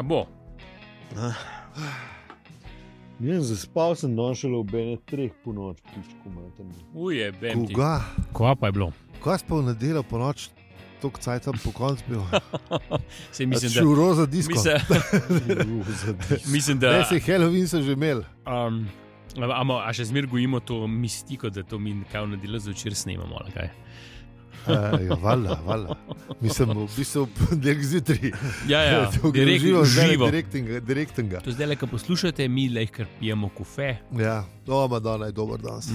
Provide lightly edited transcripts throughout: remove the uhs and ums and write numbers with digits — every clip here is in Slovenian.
A bo. Zaspal sem šele ob 3 po noč, pičku materni. Uje, bem ti. Koga? Kva pa je bilo? Kaj si pa v nedeljo po noč, toliko cajt po koncu bil? Sej mislim, da... Šuro za disko. Mislim, da... Ne, sej Halloween so že imeli. A še zmer gojimo to mistiko, da to mi kaj v nedeljo zvečer snemamo, ali kaj? Valjda. Mislim, v bistvu ponedeljek zjutraj. Ja, direktnega. To zdaj, ko poslušate, mi kar pijemo kafe. Ja, Madonna je dober danes.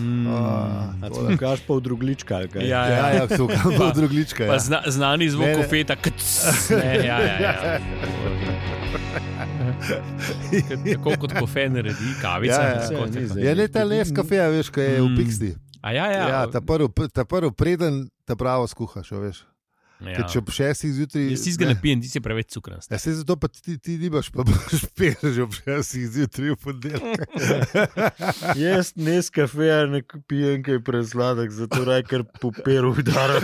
Kaš pa v druglička, ali kaj? Ja, so pa v druglička. Pa znani zvok kofeta. Ja. Tako kot kofe naredi, kavica. Ja, ne ta les kafeja, veš, kaj je v Pixti. Ja, ta prvi preden te pravo skuhaš, veš. Ja. Če ob 6 zjutraj... Jaz si ga ne pijem, ti si preveč cukrast. Ja, zato pa ti nimaš, pa boš pil že ob 6 zjutraj v ponedeljek. Jaz nes kafeja ne pijem, kaj je presladek, zato raj kar poperu udaram.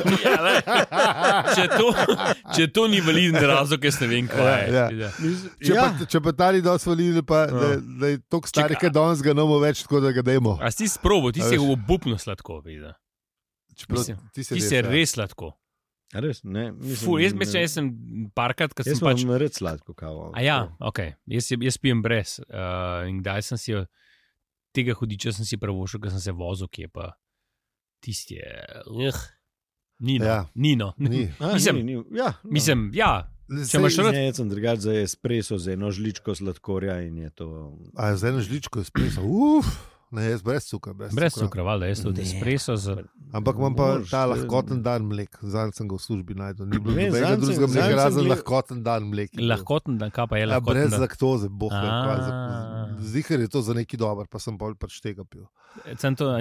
Če to ni validen razlog, jaz ne vem, kaj je. Če pa ta ni dosti validen, pa da je toliko starih, kaj danes ga nomo več, tako da ga dajmo. A si sprobo, ti si obupno sladko, vidi. Ti si res sladko. Res, ne, jaz sem parkrat, ko sem pač... Jaz sem red sladko kavo. Ok. Jaz pijem brez. In kdaj sem si tega hudiča sem si pravošel, ko sem se vozil, ki je pa tisti Nino. Mislim, ja. Če imaš rad... Jaz sem drugač za espresso, z eno žličko sladkorja in je to... Z eno žličko espresso, Ne, jaz brez cukra. Brez cukra, valjda, jaz tudi espresso. Ampak imam pa ta lahkoten dan mlek. Zanj sem ga v službi najdel. Ni bilo nobenega drugega mleka, razen lahkoten dan mlek. Lahkoten dan, kaj pa je lahkoten dan? Brez laktoze, Zihar je to za neki dober, pa sem bolj pač tega pil.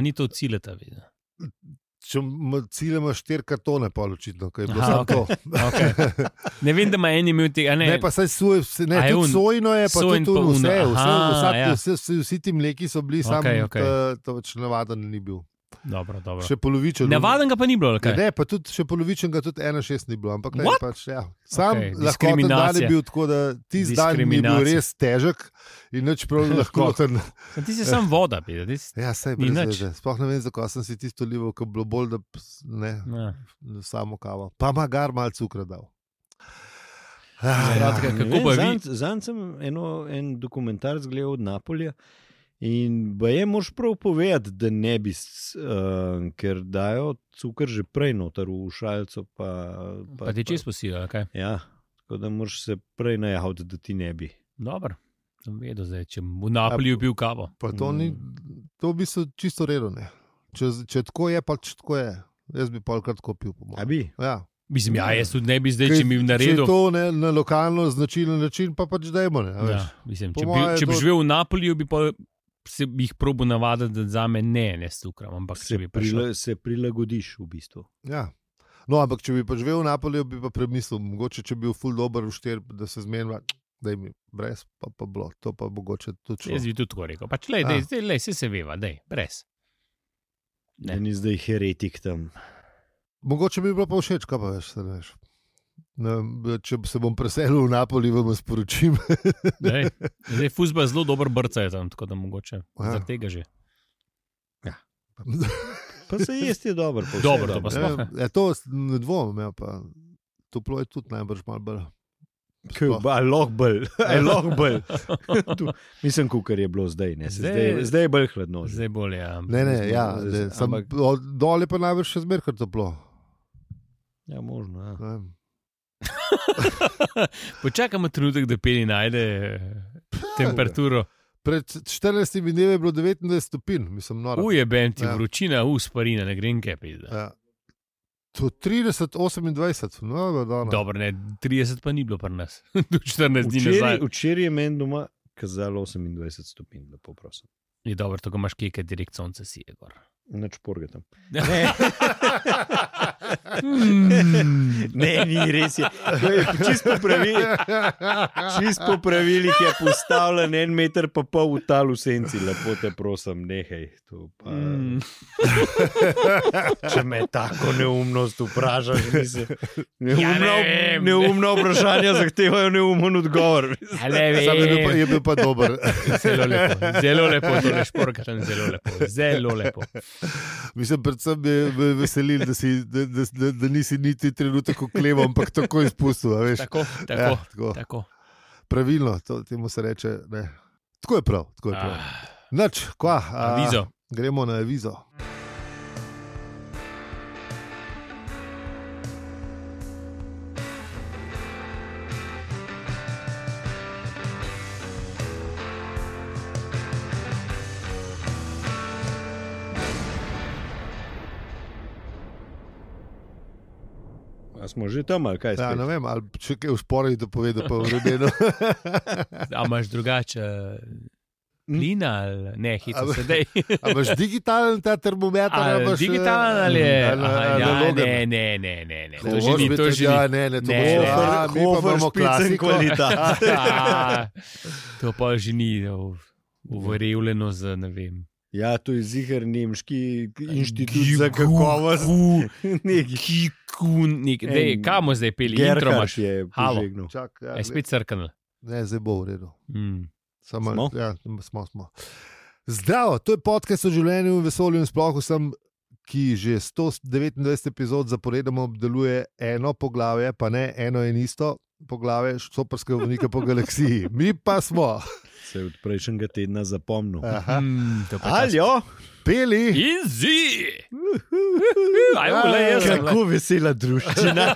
Ni to cileta, vidi. Če cilj imaš 4 kartone, pa očitno, kaj je bilo samo to. Okay. Ne vem, da ima en imel tega. Ne, pa saj tudi sojno je, pa tudi vsi ti mleki so bili, to več navaden ni bil. Dobro. Še polovičen. Navaden ga pa ni bilo, kaj? Ne, pa tudi še polovičen ga tudi 1,6 ni bilo, ampak ne, pač, ja. Sam lahkoten dan je bil tako, da ti dan mi je bil res težek in nič prav lahkoten. Ti si sam voda, pide. Ja, saj brez veze. Sploh ne vem, zakaj sem si tisto lival, ko bilo bolj, da samo kavo. Pa magar malo cukra dal. Zanj sem en dokumentarc gledal od Napolja. In je moraš prav povedati, da ne bi, ker dajo cukor že prej noter v šalco. Pa ti čez posijo, kaj? Ja, tako da moraš se prej najaviti, da ti ne bi. Dobro, sem vedel zdaj, če v Napolju pil kavo. Pa to bi se čisto redo, ne. Če tako je, pač tako je. Jaz bi polkrat tako pil. A bi? Ja. Mislim, jaz tudi ne bi zdaj, če mi v naredu... Če to na lokalno značilen način, pa pač dajmo, ne. Ja, mislim, če bi živel v Napolju, bi pa... Se bi jih probil navaditi, da za me ne s cukrom, ampak se prilagodiš v bistvu. Ja. No, ampak če bi pa živel v Napolju, bi pa premislil, mogoče če bi bil ful dober v štir, da se zmenila, da mi brez, pa bilo, to pa mogoče tudi šlo. Jaz bi tudi tako rekel, pač se veva, brez. Ne. Ni zdaj heretik tam. Mogoče bi bilo pa všeč, kaj pa veš. Če se bom preselil v Napoli, vam sporočim. Zdaj fuzbol zelo dober brca je tam, tako da mogoče zaradi tega že. Ja. Pa se jesti je dobro. Dobro, to pa sploh. To ne dvomim, pa toplo je tudi najbrž malo bolj. Lohbel. Mislim, kukar je bilo zdaj, ne. Zdaj je bolj hladno. Zdaj bolj, ja. Ne, dole pa najbrž še zmerkar toplo. Ja, možno, ja. Počakamo trenutek, da Peli najde temperaturo. Pred 14 dnevi je bilo 29 stopinj, mislim, noro. Ujebem ti, vročina, sparina, ne grem kaj pizda. Ja. To 30, 28, Dobro, ne, 30 pa ni bilo pri nas. Do 14 dni nazaj. Včeraj je meni doma kazalo 28 stopinj, lepo prosim. Je dobro, tako imaš keke, direkt sonce si je gor. Nač porgatam. Ne. Ne, ni res. Čisto po pravilih je postavljen 1,5 metra v tal v senci. Lepo te prosim, nehaj. Če me tako neumnost vprašaš, neumno vprašanja zahtevajo neumen odgovor. Je bil pa dober. Zelo lepo, to ne šporkatam, zelo lepo. Mislim, predvsem me veseli, da nisi niti trenutek okleval, ampak tako izpustil. Tako. Pravilno, temu se reče. Ne. Tako je prav. Nač, avizo. Gremo na avizo. A smo že tam, ali kaj? Ja, ne vem, ali če kaj v sporih to povedal, pa v rodinu. A imaš drugače plina ali ne, hitro sedaj? A imaš digitalen ta termometer? Digitalen ali je? Ne. To že ni, to že ni. To bo špicen kvalitat. To pa že ni uverjevljeno za, ne vem. Ja, to je ziher nemški inštitut za kakovost. Kamo zdaj peli? Gerhard je požegnal. Je spet crknil. Ne, zdaj bo v redu. Smo? Ja, smo. Zdravo, to je podcast o življenju in vesolju in sploh vsem, ki že 129 epizod zaporedoma obdeluje eno poglavje, pa ne eno in isto poglavje štoparskega vodnika po galaksiji. Mi pa smo... Se je od prejšnjega tedna zapomnil. Aljo, peli in zi. Kako vesela druščina.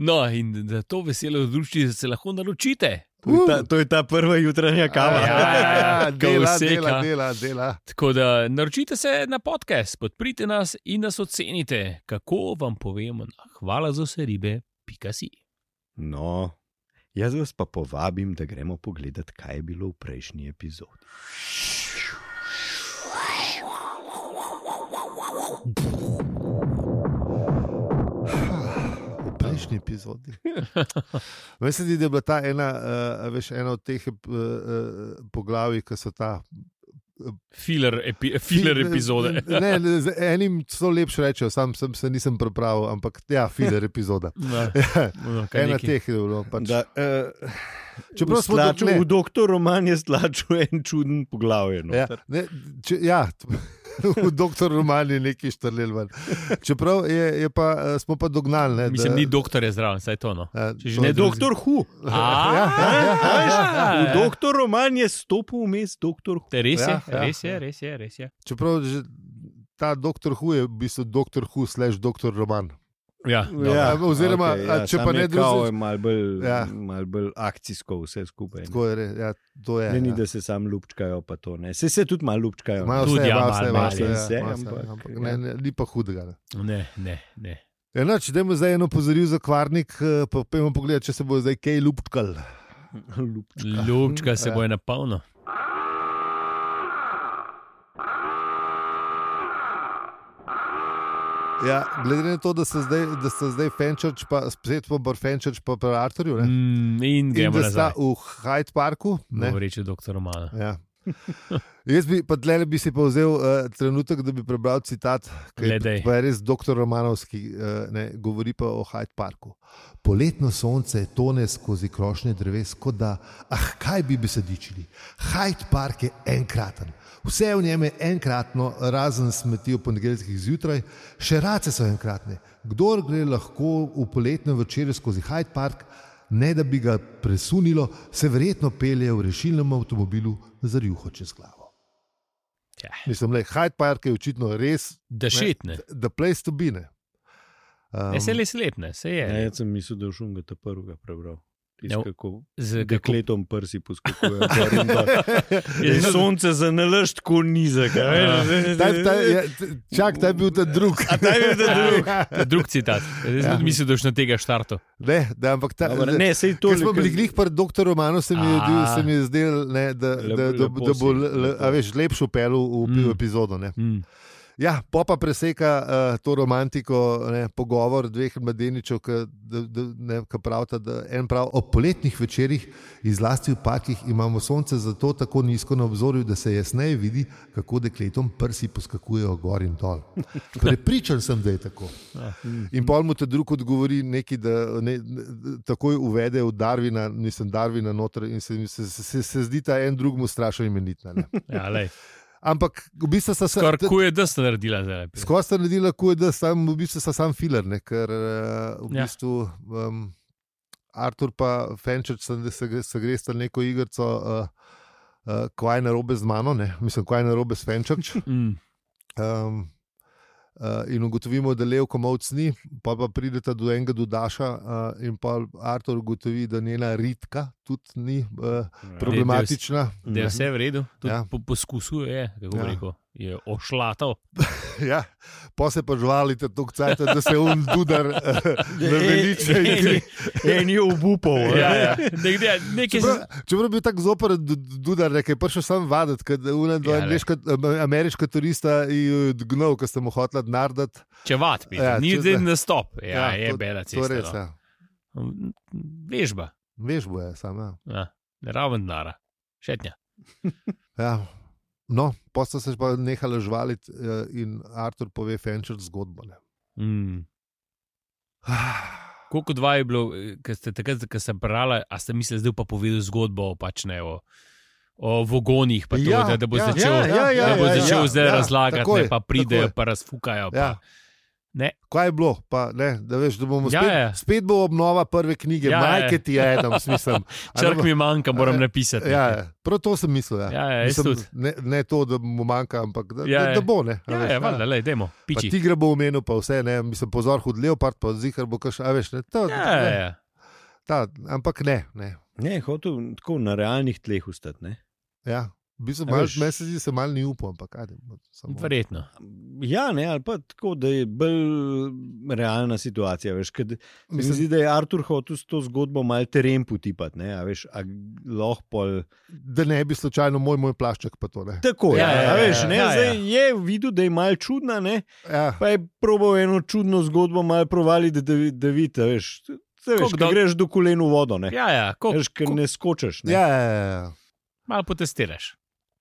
No, in da to veselo druščino se lahko naročite. To je ta prva jutranja kava. Dela. Tako da naročite se na podcast, podprite nas in nas ocenite. Kako vam povemo na hvalazoseribe.si. No, jaz vas pa povabim, da gremo pogledat, kaj je bilo v prejšnji epizodi. V prejšnji epizodi. Mislim, da je bila ta ena od teh poglavij, ki so ta filler epizode. Ne, z enim so lepše rečejo, sam se nisem pripravil, ampak ja, filler epizoda. Ena teh je bilo. V Doktor Roman je stlačil en čuden poglavje. V Doktor Roman je neki štrlel ven. Čeprav smo pa dognali. Mislim, ni doktor je zraven, saj to. Ne, Doktor Who. V Doktor Roman je stopil vmes Doktor Who. Res je. Čeprav ta Doktor Who je v bistvu Doktor Who / Doktor Roman. Oziroma, če pa ne drugo, je malo bolj akcijsko vse skupaj. To je. Ni, da se sam lupčkajo, pa to ne. Se tudi malo lupčkajo. Ni pa hudega. Ne. Dajmo zdaj eno pozoril za kvarnik, pa pojmo pogledati, če se bo zdaj kaj lupčkal. Lupčka se bo je napolno. Ja, glede na to, da ste zdaj Fenchurch, pa spet pa Fenchurch pa pri Arthurju, in da sta v Hyde Parku. Govoreči doktor Romana. Ja. Jaz bi si pa vzel trenutek, da bi prebral citat, ki je res doktor Romanovski, govori pa o Hyde Parku. Poletno sonce tone skozi krošnje dreves, kot da, kaj bi se dičili. Hyde Park je enkraten. Vse v njem je enkratno, razen smeti v ponedeljskih zjutraj, še race so enkratne. Kdor gre lahko v poletnem večeru skozi Hyde Park, ne da bi ga presunilo, se verjetno pelje v rešilnem avtomobilu za rjuho čez glavo. Ja. Mislim, Hyde Park je očitno res the place to be. Se je res lepne, se je. Jaz sem mislil, da v šunga ta prvega prebral. Kako z dekletom prsi poskakuje. Sonce za nalašč tako nizek. Čak, ta je bil ta drug. Drug citat. Zdaj mislim, da boš na tega štartu. Ne, ampak ta... Ne, sej to... Ker smo bili glih pri dr. Romanu, se mi je zdel, da bo lepšo pelu v epizodo. Ne. Ja, pa preseka to romantiko, pogovor dveh mladeničev, ki pravita, da en prav ob poletnih večerih in zlasti v parkih imamo sonce zato tako nizko na obzorju, da se jasneje vidi, kako dekletom prsi poskakujejo gor in dol. Prepričan sem, da je tako. In pol mu te drug odgovori nekaj, da takoj uvede v Darwina noter in se zdi ta en drug mu strašno imenitna. Ja, lej. Ampak v bistvu sta se... Skoraj QED sta naredila zdaj. Skoraj sta naredila QED, v bistvu sta sam filler, ker v bistvu Artur pa Fenčer se gre sta neko igrico kaj narobe z mano, mislim, kaj narobe s Fenčerč. In ugotovimo, da Levko Mavc ni, pa prideta do enega dodaša in pa Artur ugotovi, da njena Ritka tudi ni problematična. Da je vse v redu, tudi poskusuje, kako bi rekel, je ošlatal. Ja, pa se pa žvalite toliko cajta, da se Dudar naveliče. En je obupal. Čeprav bi tako zoper Dudar, ki je prišel sam vaditi, kad ameriška turista je odgnal, ko ste mu hotela narediti. Če vat, ni zdaj na stop. Ja, je bela cesta. Vežba. Vežbo je sam, ja. Raven denara. Šetnja. Ja. No, posta se pa nehala žvaliti in Artur pove Fenčer zgodbo. Koliko dva je bilo, takrat, ko sem brala, a ste mislili, zdaj pa povedal zgodbo o vogonih, pa to, da bo začel zdaj razlagati, pa pridejo, pa razfukajo. Ne. Kaj je bilo? Pa, da veš, da bomo spet bo obnova prve knjige, majke ti je Adam, smislim. Črk mi manjka, moram napisati. Prav to sem mislil. Ne to, da mu manjka, ampak da bo. Valjda, dajmo, piči. Pa tigra bo omenil, pa vse, mislim, pozor, hud leopard, pa zihar bo kaš, a veš, ampak ne. Ne, hotel tako na realnih tleh ustati, ne? Ja. Meni se zdi, se malo ni upal, ampak kaj. Verjetno. Ja, ne, ali pa tako, da je bolj realna situacija, veš, kad mi se zdi, da je Artur hotel s to zgodbo malo teren potipati, ne, a veš, a lahko pol... Da ne bi slučajno moj plašček pa to, ne. Tako, veš, ne, zdaj je videl, da je malo čudna, ne, pa je probal eno čudno zgodbo malo provaliti, da vidi, veš, ko greš do kolen v vodo, ne. Veš, ker ne skočeš, ne. Malo potestiraš.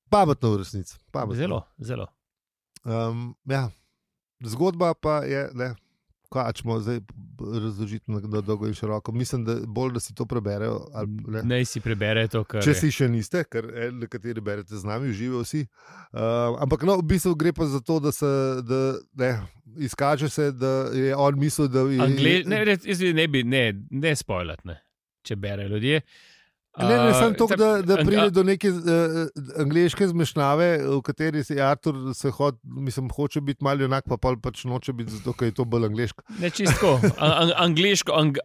Pametno v resnici. Zelo, zelo. Zgodba pa je, kaj ćemo zdaj razložiti na dolgo in široko. Mislim, da bolj, da si to preberejo. Ne si preberejo to, kar Če si še niste, ker nekateri berete z nami, živijo vsi. Ampak v bistvu gre pa za to, da izkaže se, da je on mislil, da je... Ne spoilati, ne, če berejo ljudje. Ne, sem to, da pride do neke angleške zmešnjave, v kateri se Artur hoče biti malo enak, pa pač noče biti zato, ker je to bolj angleško. Ne, čisto.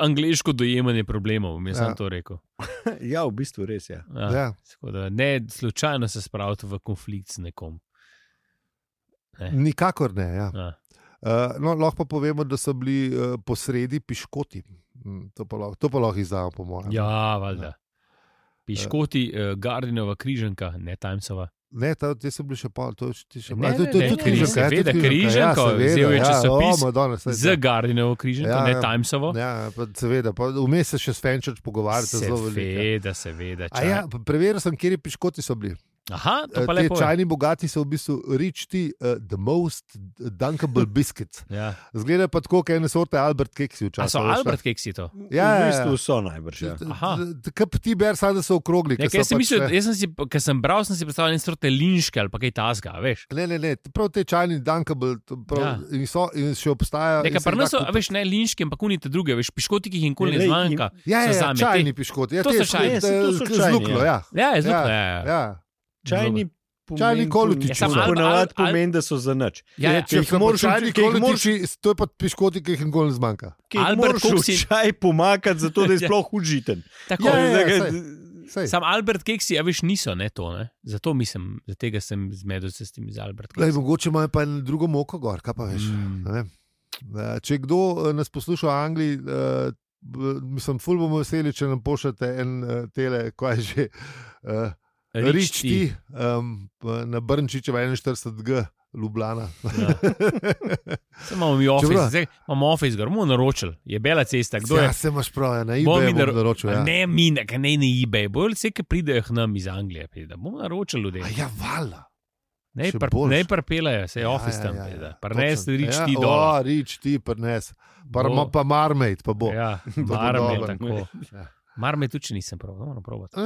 Angleško dojemanje problemov, sem to rekel. Ja, v bistvu res je. Ne, slučajno se spraviti v konflikt z nekom. Nikakor ne, No, lahko pa povemo, da so bili posredi piškoti. To pa lahko izdamo, po mojem. Ja, valjda. Piškoti, Gardinova križanka, ne Timesova. Ne, te so bili še pol, to je še malo. To je tudi križanka. Seveda, križanka, vzel je časopis z Gardinovo križanko, ne Timesovo. Ja, seveda, vmes se še s Fenčerč pogovarjate zelo veliko. Seveda. Preveril sem, kjer piškoti so bili. Aha, to pa lepo. Te čajni bogati so v bistvu richti the most dunkable biscuits. Zgleda pa tako, kaj ene sorte Albert keksi včasih. A so Albert keksi to? Ja, v bistvu so najbrž. Kaj pa ti ber sad, da so okrogli? Jaz sem mislil, ker sem bral, sem si predstavljal ene sorte linške ali pa kaj tasga, veš? Ne, prav te čajni dunkable in še obstajajo. Nekaj pa nas so, veš, ne linške, ampak unite druge, veš, piškoti, ki jih nikoli ne zmanjka. Ja, čajni piškoti. To so čajni. Z lukno, Ja, z lukno, Čajni Čajni kolutiči. Ponavadi pomeni, da so za nič. Če jih moraš čajni kolutiči, to je pa piškoti, ki jih nikoli ne zmanjka. Albert Koksi čaj pomakati, zato da je sploh užiten. Tako sam Albert Keksi, a veš, niso, ne to, ne? Zato mislim, za tega sem zmedel se s tem z Albert Keksi. Mogoče imajo pa en drugo moko gor, kaj pa veš. Če kdo nas posluša v Angliji, mislim, ful bomo veseli, če nam pošljete en tele, ko je že Rič ti na Brnčičeva 41G Ljubljana. Se imamo mi office, zdaj imamo office, ga bomo naročili, je bela cesta. Ja, se imaš prav, na eBay bomo naročili. Ne na eBay, bolj vse, ki pridejo k nam iz Anglije, da bomo naročili ljudem. Ja, valjda. Ne pripelajo, se je office tam. Prnes Rič ti dol. Rič ti prnes. Pa Marmate pa bo. Ja, Marmate, tako. Marmate tudi nisem probal, moram probati.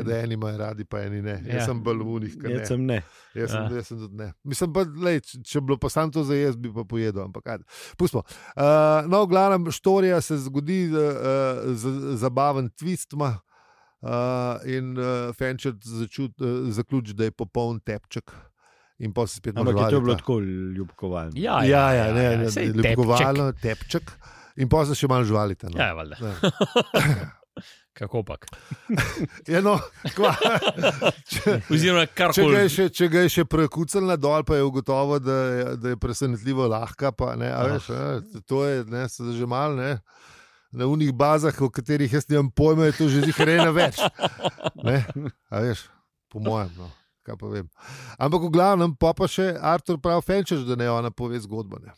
Da eni imajo radi, pa eni ne. Jaz sem bolj v unih, kar ne. Jaz sem tudi ne. Mislim pa, če bi bilo pa sam to za jaz, bi pa pojedel, ampak ajde. Pustimo. No, v glavnem, štorija se zgodi zabaven twist ima in Fenčer zaključi, da je popoln tepček. In pa se spet ampak je to bilo tako ljubkovalno. Ja, ljubkovalno, tepček. In pa se še malo žvalite. No. Ja, valjda. Kako pak? Če ga je še prekucal na dol, pa je ugotovo, da je presenetljivo lahka. Pa, ne, veš, to je že malo. Ne, na unih bazah, o katerih jaz nimam pojma, je to že zihrena več. Ne, veš, po mojem. No, kaj pa vem. Ampak v glavnem pa še Artur pravi Fenčer, da ne ona pove zgodbo. Ne.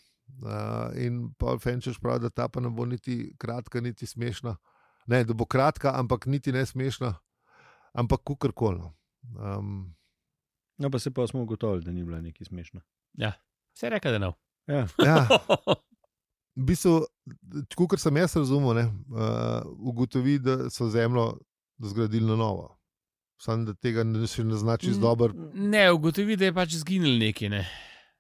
In pa Fenčer pravi, da ta pa ne bo niti kratka, niti smešna. Ne, da bo kratka, ampak niti ne smešna, ampak kukorkoli. No, pa se pa smo ugotovili, da ni bila nekaj smešna. Ja, se je rekel, da ne. Ja. V bistvu, kukor sem jaz razumel, ugotovi, da so zemljo zgradili na novo. Sam, da tega še ne znači dobro. Ne, ugotovi, da je pač zginil neki, ne.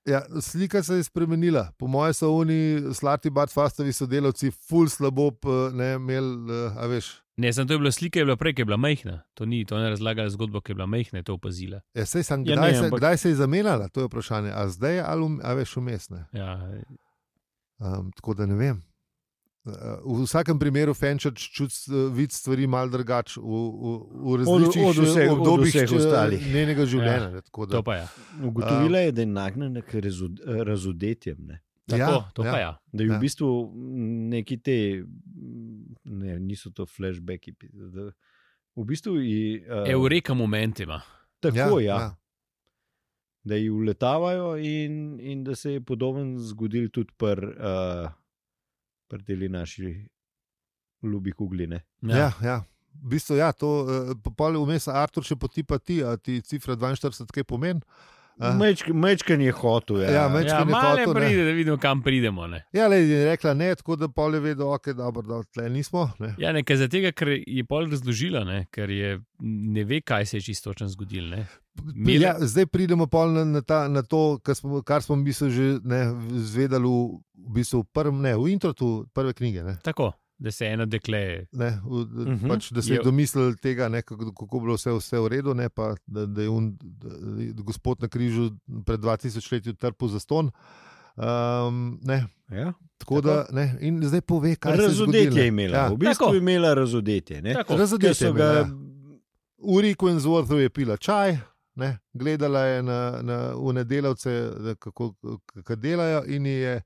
Ja, slika se je spremenila. Po moje so oni Slarty Bartfastovi sodelavci ful slabo imeli, a veš. Ne, sem to je bila slika, je bila prej, ki je bila majhna. To ne razlagala zgodbo, ki je bila majhna, je to opazila. Ja, sej sem, kdaj se je zamenjala, to je vprašanje. A zdaj ali a veš vmes, ne? Ja. Tako da ne vem. V vsakem primeru Fenčer vidi stvari malo drugače v različnih obdobjih njenega življenja. Ja, to pa je. Ugotovila je, da je nagnjena k razodetjem. To pa je. Da je v bistvu neki te, niso to flashbacki, v bistvu Eureka moment ima. Tako, ja. Da ji uletavajo in da se je podoben zgodil tudi predeli naši ljubi kugline. Ja. V bistvu, ja, to popolje vmes Artur še potipa ti, a ti cifra 42 kaj pomeni? Mečken je hotel. Ja, mečken je hotel. Pride, da vidimo, kam pridemo. Ne. Ja, je rekla ne, tako da polje vedo, ok, dobro, da tle nismo. Ne. Ja, nekaj za tega, ker je pol razložila, ne, ker je ne ve, kaj se je čisto točno zgodilo. Ja, zdaj pridemo pol na to, kar smo že zvedali v bistvu v introtu prve knjige. Ne. Tako. Da se eno dekle. Pač, da se je domislil tega, kako bilo vse v redu, ne, pa, da je gospod na križu pred 2000 leti trpel zaston. Ja, tako da, ne, in zdaj pove, kaj se je zgodilo. Razodetje je imela. V bistvu je imela razodetje. Razodetje je imela. V Riku in Zvorthu je pila čaj, ne, gledala je na delavce, kako delajo in je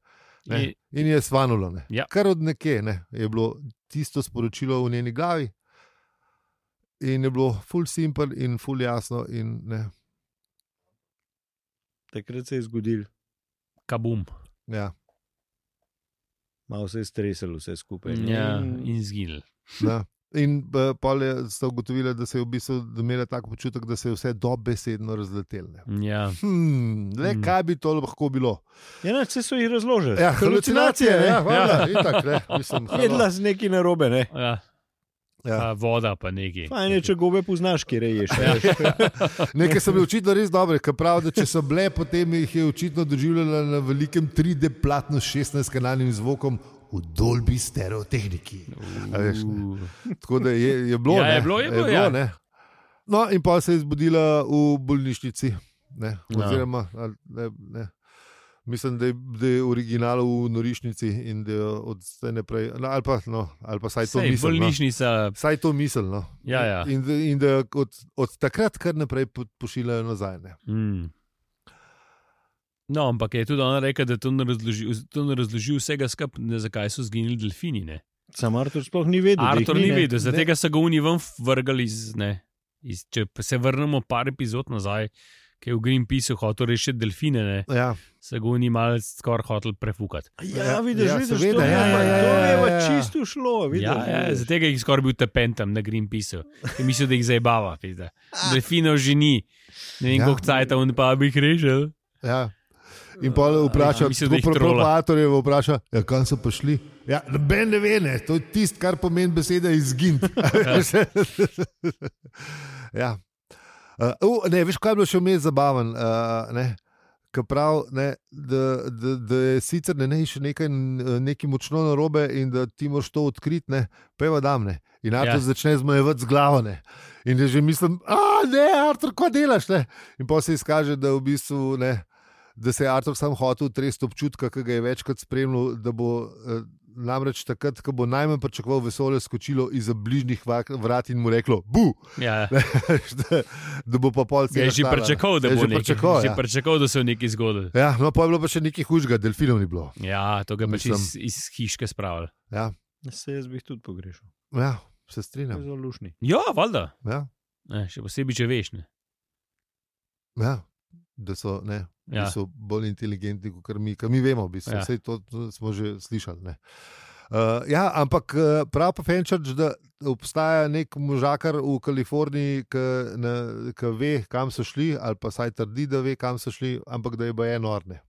in je svanulo. Ja. Kar od nekje je bilo tisto sporočilo v njeni glavi in je bilo ful simple in ful jasno. Takrat se je zgodil. Kabum. Ja. Malo se je stresalo vse skupaj. Ja, in zginil. Ja. In pol sta ugotovila, da se je v bistvu imela tako počutek, da se je vse dobesedno razletelo. Ja. Kaj bi to lahko bilo? Ja, vse so jih razložili. Ja, halucinacije. Jedla z neki narobe, ne? Ja. Ja. Voda pa neki. Fajn je, če gobe poznaš, kje reješ. Nekaj so bile očitno res dobre, ker pravi, da če so bile, potem jih je očitno doživljala na velikem 3D platnu s 16-kanalnim zvokom v Dolby stereotehniki. Tako da je bilo. Ja, je bilo. No, in pa se je zbudila v bolnišnici. Oziroma, ne. Mislim, da je original v norišnici in da je od zdaj naprej, ali pa saj to misel. Bolnišnica. Saj to misel. No. Ja. In da od takrat kar naprej pošiljajo nazaj. No, ampak je tudi ona rekla, da to ne razloži vsega skupaj, zakaj so zginili delfini. Ne? Sam Artur sploh ni vedel. Artur ni vedel, zato so ga oni ven vrgali. Če se vrnemo par epizod nazaj, ki je v Greenpeaceu hotel rešiti delfine, se ga oni malo skoraj hotel prefukati. Vidiš, to je čisto šlo. Zato je jih skoraj bil tepen tam na Greenpeaceu. Mislil, da jih zabava. Delfinov že ni. Ne vem, koliko cajta on pa bi jih rešil. Ja. In pa vpraša, kam so prišli. Ja, noben ne ve, to je tisto, kar pomeni beseda izgin. Ja. Veš, kaj je bilo še vmes zabaven? Da je sicer še nekaj močno narobe in da ti moraš to odkriti, peva dam. In Artur začne zmajevati z glavo. In da že mislim, Artur, kaj delaš? In pa se izkaže, da v bistvu da se je Artur sam hotel tresti občutka, ki ga je večkrat spremljal, da bo namreč takrat, ko bo najmanj pričakoval vesolje, skočilo izza bližnjih vrat in mu reklo bu! Ja. Da bo pa pol celo. Je že pričakoval, da bo nekaj. Že pričakoval, da se je nekaj zgodilo. Ja, no pa je bilo pa še nekaj hujšega, delfinov ni bilo. Ja, to ga je pač iz hiške spravili. Ja. Se jaz bi jih tudi pogrešal. Ja, se strinjam. Zelo lušni. Ja, valjda. Ja. Še posebej, če veš. Ja. Da so bolj inteligentni, kot mi vemo, vse to smo že slišali. Ampak prav pa Fenčarč, da obstaja nek možakar v Kaliforniji, ki ve, kam so šli, ali pa saj trdi, da ve, kam so šli, ampak da je pa enorne.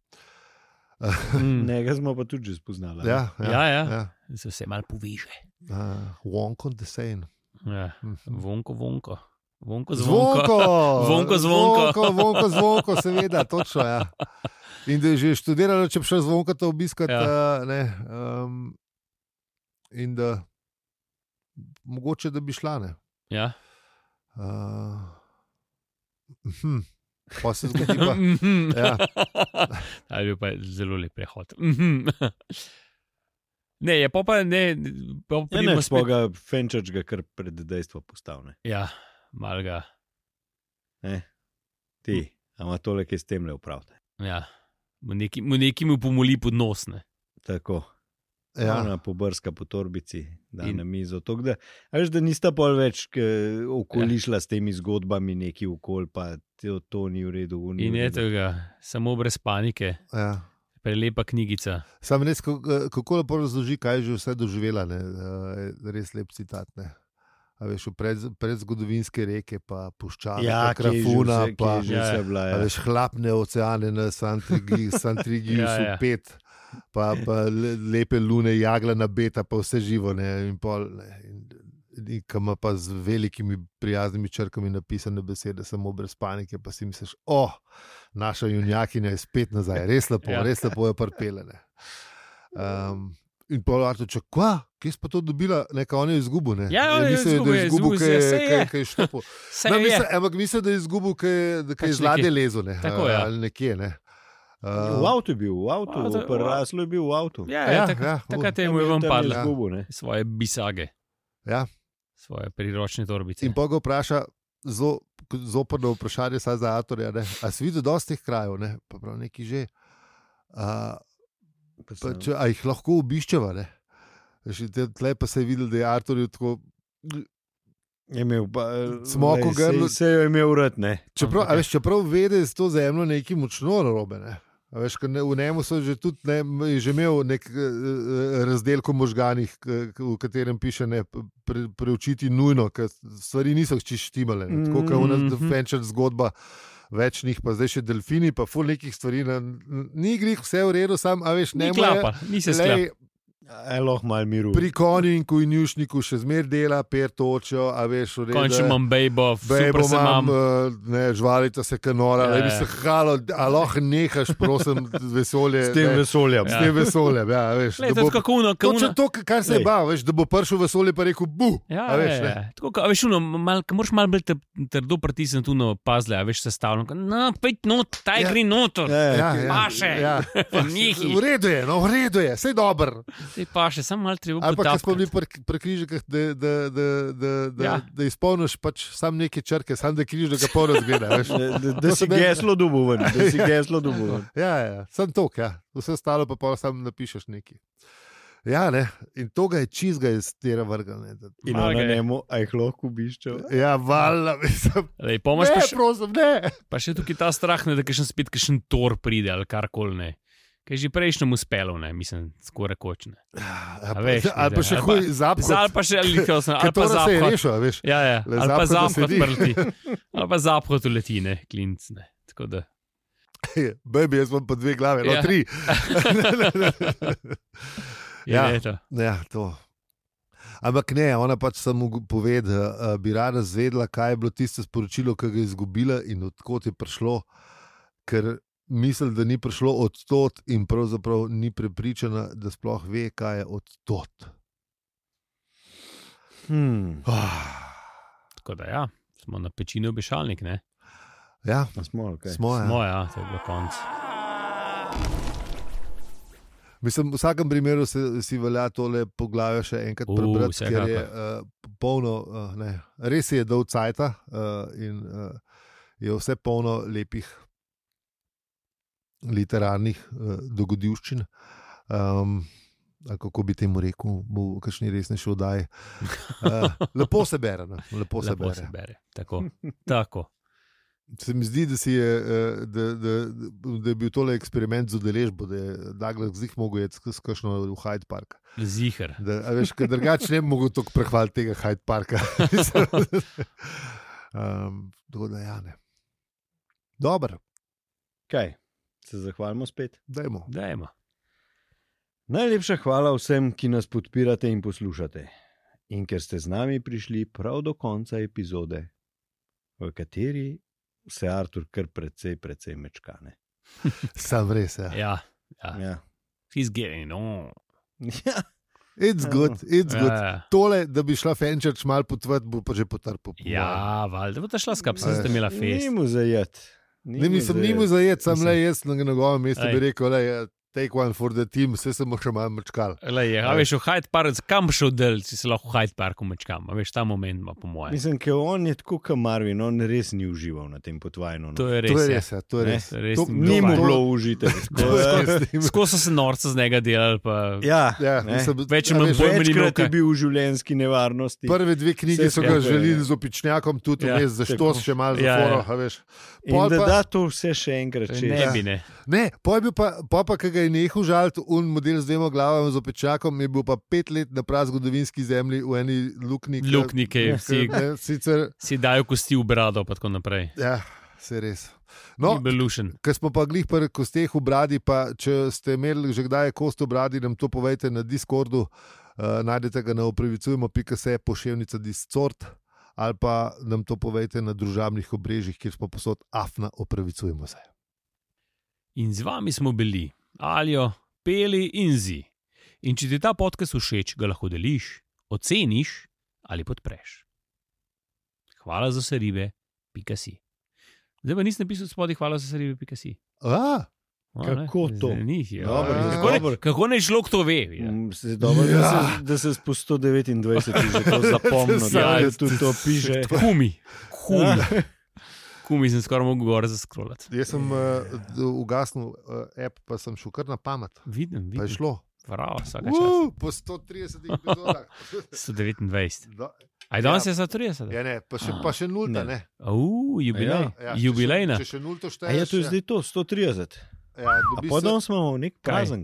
Nekaj smo pa tudi že spoznali. Ja. Se vse malo poveže. Wonko the same. Ja. Vonko. Zvonko, seveda, točno. Ja. In da je že študirala, če bi šel Zvonka to obiskati. In da mogoče, da bi šla. Ja. Pa se zgodi pa. Ja. Ali pa je zelo lep prehod. Ne, je pa ne. Ne, smo ga Fenčarč ga kar pred dejstvo postavne. Ja. Malga. Ti, ama tole, ki s tem le upravite. Ja, mu neki mu pomoli pod nos. Tako. Ja. Ona pobrska po torbici, da na mizo. Veš, da nista pol več okolišla s temi zgodbami neki okol, pa to ni v redu. In je tega, samo brez panike. Ja. Prelepa knjigica. Sam res, kako lepo razloži, kaj je že vse doživela. Res lep citat. Veš, predzgodovinske reke, pa puščave, krafuna, pa veš, hlapne oceane na Santrigiju, pet, pa lepe lune, jaglana beta, pa vse živo. In ki ima pa z velikimi prijaznimi črkami napisane besede, samo brez panike, pa si misliš, naša junjakinja je spet nazaj, res lepo je prpele. In pa Artur, kje si pa to dobila, on je izgubil, Ja, on je izgubil, kaj je štopil. Ampak mislim, da je izgubil, kaj je z ladje lezo, ali nekje, V avtu je bil, raslo je bil v avtu. Takrat je mu ven padla svoje bisage. Ja. Svoje priročne torbice. In pa ga vpraša, zoprno vprašanje za Arturja, a si videl dosti teh krajev, pa prav neki že. A jih lahko obiščeva? Tle pa se je videl, da je Artur tako. Je imel pa smoko grlo. Se je imel rad, Čeprav vede z to zemljo nekaj močno narobe. V njemu so že tudi že imel nek razdelko možganih, v katerem piše preučiti nujno, ker stvari niso čištimale. Tako kot v nas Fenčarč zgodba. Več njih, pa zdaj še delfini, pa ful nekih stvari. Ni grih, vse v redu, sam, a veš, ne more. Ni se sklapa. Lahko malo miru. Pri konju in konjušniku še zmer dela, per točijo, a veš, v redu. Končno imam bejbo, super se imam. Žvalita se kanora, bi se halo, a lahko nehaš, prosim, vesolje. S tem vesoljem. S tem vesoljem, ja, veš. Lej, to je kako uno. Točno to, kar se je bal, veš, da bo prišel vesolje pa rekel, bu. Ja, a veš, tako, a veš, moraš malo bolj trdo pritisniti uno pazle, a veš, sestavljeno. No, pejt not, taj gre notor. Paše. V redu je, no, v redu je, sej dober. Sej paše, samo malo treba potapkati. Ali pa, ko smo bili pri križikah, da izpolniš pač sam neke črke, sam da križ, da ga pol razgleda, veš. Da si geslo doboven, Ja, sam tok, ja. Vse ostalo pa pol sam napišeš neki. Ja, ne, in to ga je čizga iz tera vrga, ne. In ona nemo, a jih lahko biščal. Ja, valjda, mislim. Ne, prosim, ne. Pa še tukaj ta strah, ne, da kakšen tor pride ali karkoli, ne. Kaj je že prejšnjemu uspelo, ne, mislim, skoraj kočne. Ali pa še huj zaphod. Ali pa še ali pa se je rešil, veš. Ja, ali pa zaphod prleti. Ali pa zaphod uleti, ne, klinc, ne. Tako da. Baby, jaz imam pa 2 glave, no 3. Ja, to. Ampak ne, ona pač samo pove, da bi rada zvedla, kaj je bilo tisto sporočilo, ki ga je izgubila in odkot je prišlo, ker misli, da ni prišlo od tot in pravzaprav ni prepričana, da sploh ve, kaj je od tot. Tako da ja, smo na pečini obešalnik, ne? Ja, smo, okay. Smo, ja, to je bilo konc. Mislim, v vsakem primeru si velja tole poglavje še enkrat prebrati, ker je polno, res je dolg cajta in je vse polno lepih literarnih dogodivščin. Kako bi temu rekel, v kakšni resnejši oddaji. Lepo se bere. Lepo se bere. Tako. Se mi zdi, da je bil tole eksperiment z udeležbo, da je Douglas zih mogel jeti s kakšno v Hyde Park. Ziher. A veš, ker drugače ne bi mogel toliko prehvaliti tega Hyde Parka. Tako da ja, ne. Dobro. Kaj? Se zahvalimo spet? Dajmo. Najlepša hvala vsem, ki nas podpirate in poslušate. In ker ste z nami prišli prav do konca epizode, v kateri se Artur kar precej mečkane. Sam res, ja. Ja. He's getting on. Ja. It's good. Tole, da bi šla Fenčerč malo potvrt, bo pa že potrpel. Ja, valjda, bo ta šla skap, sem ste imela fest. Ni mu zajet. Ni mu zajet, sam le jaz na njegovem mestu bi rekel, take one for the team, vse sem še malo mečkal. A veš, v Hyde Park, kam šel del, si se lahko v Hyde Parku mečkam, a veš, ta moment ima po mojem. Mislim, ker on je tako kot Marvin, on res ni užival na tem potvajnu. To je res. Ni mu bilo užite. Skoro so se norca z njega delali, pa večkrat je bil v življenjski nevarnosti. Prve 2 knjige so ga želeli z opičnjakom, tudi vmes za štos še malo zaporo, a veš. In da to vse še enkrat češ. Ne bi, ne. Ne, pa ki ga je nehal žaliti, un model z 2 glavami z opečakom, je bil pa 5 let na prazgodovinski zemlji v eni luknji. Luknike, si dajo kosti v brado, pa tako naprej. Ja, se res. No, ker smo pa glih pri kosteh v bradi, pa če ste imeli že kdaj kost v bradi, nam to povejte na Discordu, najdete ga na opravicujemo.se poševnica Discord, ali pa nam to povejte na družabnih obrežjih, kjer smo posod afna opravicujemo se. In z vami smo bili Aljo, Peli in Zi. In če ti ta podcast všeč, ga lahko deliš, oceniš ali podpreš. Hvala za vse ribe.si. Zdaj pa nisem napisal spodaj hvala za vse ribe.si. Kako to? Kako ne človek to ve? Dobro, da se po 129 že to zapomnil, da tudi to piše. Kumi sem skoraj mogel gore zaskrolati. Jaz sem ugasnil app, pa sem šel kar na pamet. Vidim. Pa je šlo. Bravo, vsaka čas. Po 130 epizodah. 129. Aj danes je 130? Ja, ne, pa še nulta, ne. Jubilej. Jubilejna. Če še nulto šteješ. A je to zdaj to, 130. Ja, a potem smo v nek prazen.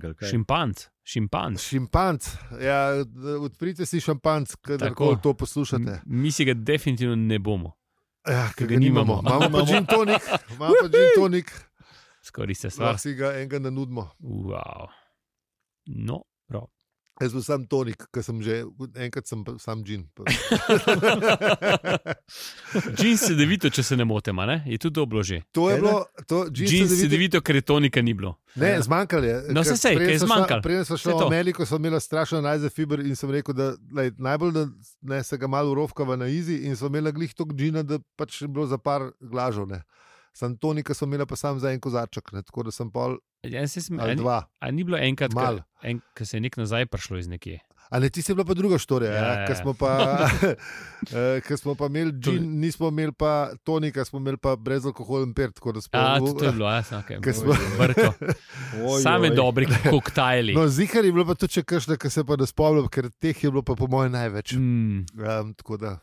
Šimpanc. Ja, odprite si šampanc, kadarkoli to poslušate. Mi si ga definitivno ne bomo. Ja, ker ga nimamo. Imamo pa gin tonik. Skoraj se stvar. Lahko si ga enega nanudimo. Wow. No, prav. Jaz sem sam tonik, ker sem že enkrat sam džin. Džin sedevito, če se ne motim, ne? Je tudi dobro že. To je bilo. Džin sedevito, ker je tonika ni bilo. Ne, zmanjkalo je. No, se sej, kaj je zmanjkalo. Prej smo šli v Ameriko, sem imela strašno najzafiber in sem rekel, da najbolj, da se ga malo urovkava na izi in sem imela glih tok džina, da pač je bilo za par glažov, ne. Sam tonika sem imela pa sam za en kozarček, ne, tako da sem pol ali dva. A ni bilo enkrat, ko se je nek nazaj prišlo iz nekje? A ne, ti si bila pa druga štorija, ker smo pa imeli džin, nismo imeli pa tonika, smo imeli pa brezalkoholen pirt. To je bilo, vrko. Same dobri koktajli. No, zihar je bilo pa tudi, če kakšne, ki se pa ne spomnim, ker teh je bilo pa po moje največ. Tako da,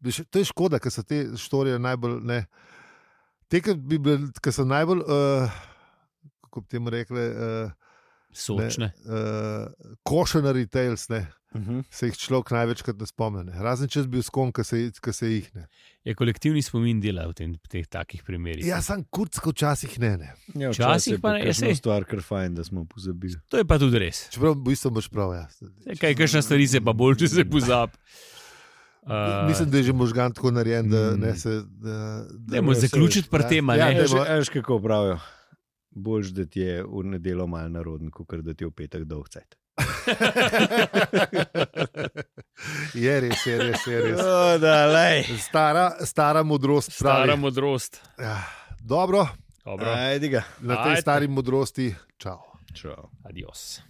to je škoda, ker so te štorije najbolj, ne. Te, ki so najbolj, kako bi temu rekli, sočne. Cautionary tales, ne. Se jih človek največkrat ne spomne. Razen če bi bil s kom, ki se jih ne. Je kolektivni spomin dela v teh takih primerih. Ja, sam kurcko včasih ne. Ja, včasih pa ne. Je stvar, kar fajn, da smo pozabili. To je pa tudi res. Čeprav v bistvu boš prav, ja. Kakšna stvari se pa bolj, če se pozab. Mislim, da je že možgan tako narejen, da ne se... Dajmo zaključiti pri tem, ne? Veš, kako pravijo. Boljš, da ti je v nedelo malo naroden, kot da ti je v petek dolg cajt. Je res. Stara modrost. Stara modrost. Ja. Dobro. Ajde ga. Na tej stari modrosti. Čau. Adios.